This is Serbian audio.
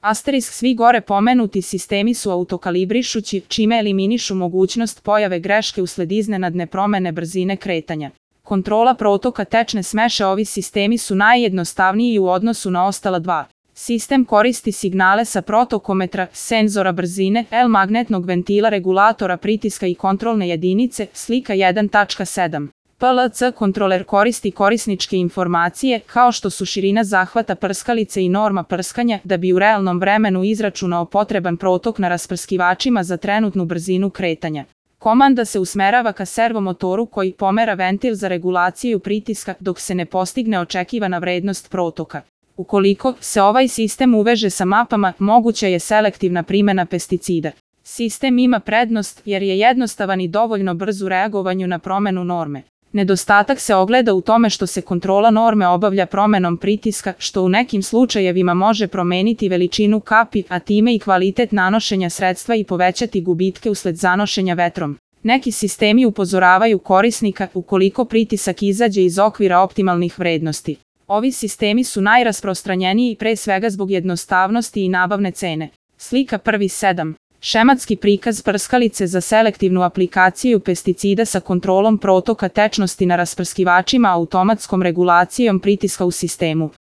Asterisk svi gore pomenuti sistemi su autokalibrišući, čime eliminišu mogućnost pojave greške usled iznenadne promene brzine kretanja. Kontrola protoka tečne smeše. Ovi sistemi su najjednostavniji u odnosu na ostala dva. Sistem koristi signale sa protokometra, senzora brzine, magnetnog ventila, regulatora pritiska i kontrolne jedinice, slika 1.7. PLC kontroler koristi korisničke informacije, kao što su širina zahvata prskalice i norma prskanja, da bi u realnom vremenu izračunao potreban protok na rasprskivačima za trenutnu brzinu kretanja. Komanda se usmerava ka servomotoru koji pomera ventil za regulaciju pritiska dok se ne postigne očekivana vrednost protoka. Ukoliko se ovaj sistem uveže sa mapama, moguća je selektivna primjena pesticida. Sistem ima prednost jer je jednostavan i dovoljno brz u reagovanju na promenu norme. Nedostatak se ogleda u tome što se kontrola norme obavlja promenom pritiska, što u nekim slučajevima može promeniti veličinu kapi, a time i kvalitet nanošenja sredstva i povećati gubitke usled zanošenja vetrom. Neki sistemi upozoravaju korisnika ukoliko pritisak izađe iz okvira optimalnih vrednosti. Ovi sistemi su najrasprostranjeniji pre svega zbog jednostavnosti i nabavne cene. Slika 1.7. Šematski prikaz prskalice za selektivnu aplikaciju pesticida sa kontrolom protoka tečnosti na rasprskivačima automatskom regulacijom pritiska u sistemu.